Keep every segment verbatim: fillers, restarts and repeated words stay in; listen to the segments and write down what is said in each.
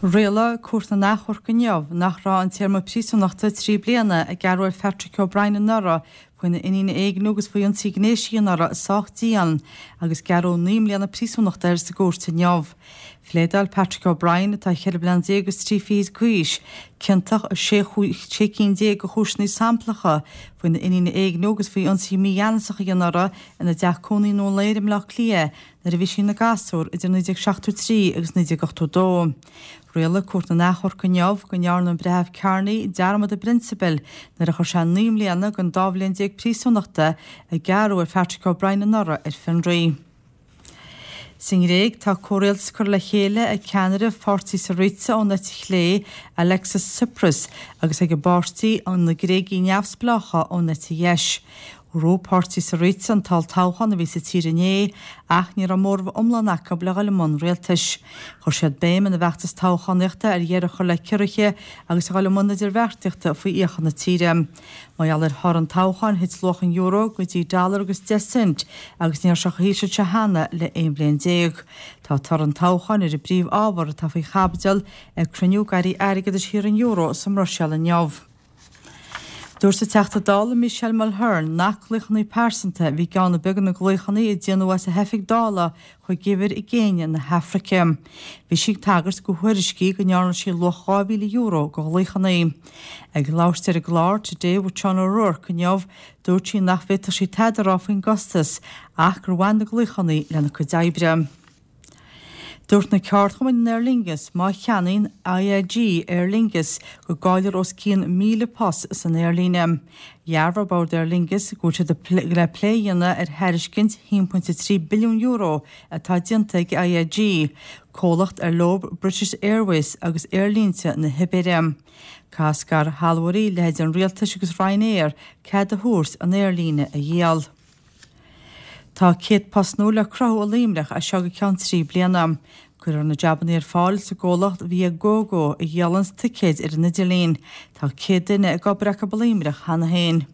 Rialaigh Cúirt na nAchomharc inniu nach raibh an téarma príosúnachta trí bliana a gearradh ar Phatrick O'Brien anuraidh faoina iníon a éigniú agus faoi ionsaí gnéis a dhéanamh uirthi sách dian agus gearradh naoi mbliana príosúnachta air sa gcúirt inniu. Phléadáil Patrick O'Brien atá ceithre bliana déag agus trí fichid d'aois, ciontach i sé cinn déag de chúiseanna samplacha faoina iníon a éigniú agus faoi ionsaí mígheanasach a dhéanamh uirthi ina dteach cónaí i nDún Laoghaire i mBleá Cliath nuair a bhí sí ina gasúr idir naoi déag seachtó trí agus naoi déag ochtó dó. Rialaigh Cúirt na nAchomharc inniu go ndearna an Breitheamh Carney dearmad i bprionsabal nuair a chuir sé naoi mbliana den dá bhliain déag príosúnachta a gearradh ar Patrick O'Brien anuraidh ar fionraí. Sa nGréig tá comhrialtas curtha le chéile ag ceannaire pháirtí Syriza ón eite chlé Alexis Tsipras agus ag an bpáirtí an na Gréagaigh neamhspleácha ón eite dheis. Bhuaigh páirtí Syriza an t-olltoghchán a bhí sa tír inné ach ní raibh móramh iomlán acu le dhul i mbun rialtais. Chuir siad béim ina bhfeachtas toghchánaíochta ar dheireadh a chur le ciorruithe agus a dhul i mbun idirbheartaíochta faoi fhiacha na tíre. Mar gheall ar thoradh an toghcháin thit luach an euro go dtí dollar agus deich cent agus ní raibh sé chomh híseal seo cheana le aon bhliain déag. Tá toradh an toghcháin ar an bpríomhábhar atá faoi chaibidil ag cruinniú d'airí airgeadais thíortha an euro sa mBruiséil inniu. Dúirt an Teachta Dála Michelle Mulhern nach glaochanna pearsanta bhí i gceann ar bith de na glaochanna a déanadh as a hoifig Dála chuig uimhir i gCéinia na hAfraice. Bhí sí ag tagairt do thuairiscí go ndearna sí luach dhá mhíle euro de ghlaochanna. Ag labhairt ar an gclár Today with Sean O'Rourke inniu, dúirt sí nach bhféadfadh sí tada a rá faoin gcostas ach gur bhain na glaochanna lena cuid oibre. Dúirt na ceardchumainn in Aer Lingus má cheannaíonn IAG Aer Lingus go gcaillfear os cionn míle post san aerlíne. Dhearbhaigh Bord Aer Lingus go bhfuil siad le plé a dhéanamh ar thairiscint haon pointe trí billiún euro atá déanta ag IAG, comhlacht ar leo British Airways agus aerlínte na hIbéire. Caithfidh scairshealbhóirí leithéid an rialtais agus Ryanair cead a thabhairt an aerlíne a dhíol. Tá céad post nua le cruthú i Luimneach as seo go ceann trí bliana. Cuirfear na jabanna ar fáil sa gcomhlacht Viagogo a dhíolann ticéid ar an idirlíon. Tá céad duine ag obair acu i Luimneach cheana féin.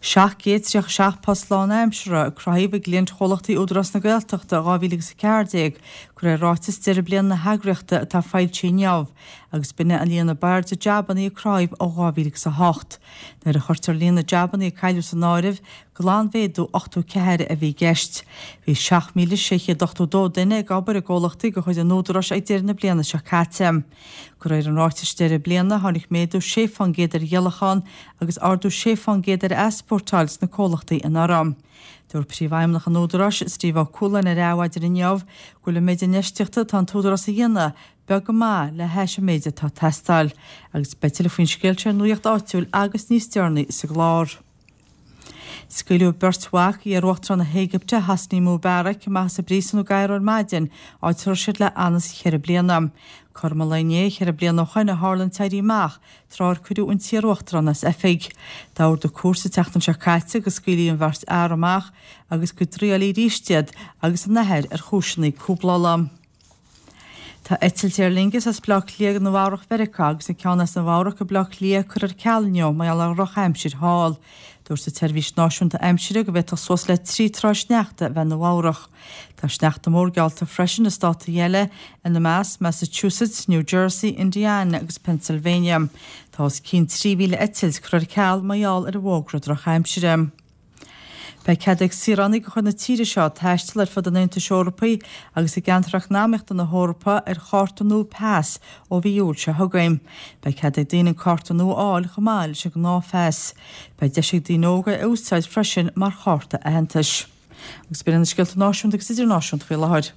Seacht gcéad tríocha seacht post lánaimseartha a cruthaíodh i gcliantchomhlachtaí Údarás na Gaeltachta dhá mhíle agus a ceathair déag, de réir ráiteas deireadh bliana na heagraíochta atá foilsithe inniu, agus b'in an líon ab airde jabanna a cruthaíodh ó dhá mhíle agus a hocht. Nuair a chuirtear líon na jabanna a cailleadh san áireamh, glanmhéadú ochtó ceathair a bhí i gceist. Bhí seacht míle sé chéad ochtó dó duine ag obair i gcomhlachtaí de chuid an Údaráis ag deireadh na bliana seo caite. De réir an ráitis deireadh bliana tháinig méadú sé faoin gcéad ar dhíolachán agus ardú sé faoin gcéad ar easpórtáil sna comhlachtaí anuraidh. Dúirt príomhfheidhmeannach an Údaráis Steve Ó Cualáin ar Adhmhaidin inniu go bhfuil an méid infheistíochta atá an t-údarás a dhéanamh beag go maith le hais an méid atá ag teastáil, agus beidh tuilleadh faoin scéal seo ar Nuacht Áitiúil agus níos deireanaí sa gclár. Scaoileadh beirt mhac iar-uachtarán na hÉigipte Hosni Mubarak amach as an bpríosún i gCairo ar maidin, áit a raibh siad le hanuas ceithre bliana. Cothrom an lae inné ceithre bliana ó shin a tharla an t-éirí amach tráth ar cuireadh an t-iar-uachtarán as oifig. D'ordaigh cúirt an tseachtain seo caite go scaoilfí an bheirt fhear amach agus go dtriailfí arís iad agus a n-athair ar chúiseanna cúblála. Tá eitilt Aer Lingus as Bleá Cliath go Nua-Eabhrac Mheiriceá agus an ceann as Nua-Eabhrac go Bleá Cliath curtha ar ceal inniu mar gheall ar dhrochaimsir thall. Dúirt an tSeirbhís Náisiúnta Aimsire go bhféadfadh suas le trí troigh sneachta a bheith i Nua-Eabhrac. Tá sneachta mór geallta freisin i státaí eile ina measc Massachusetts, New Jersey, Indiana agus Pennsylvania. Tá os cionn trí mhíle eitilt curtha ar ceal mar gheall ar an bhfógra drochaimsire. Beidh cead ag saoránaigh de chuid na tíre seo taisteal ar fud an Aontais Eorpaigh agus i gceantar eacnamaíochta na hEorpa ar chárta nua pas ó mhí Iúil seo chugainn. Beidh cead ag daoine an cárta nua a fháil chomh maith leis an ngnáthphas. Beidh deis ag daoine óga é a úsáid freisin mar chárta aitheantais. Agus b'in na scéalta náisiúnta agus idirnáisiúnta faoi láthair.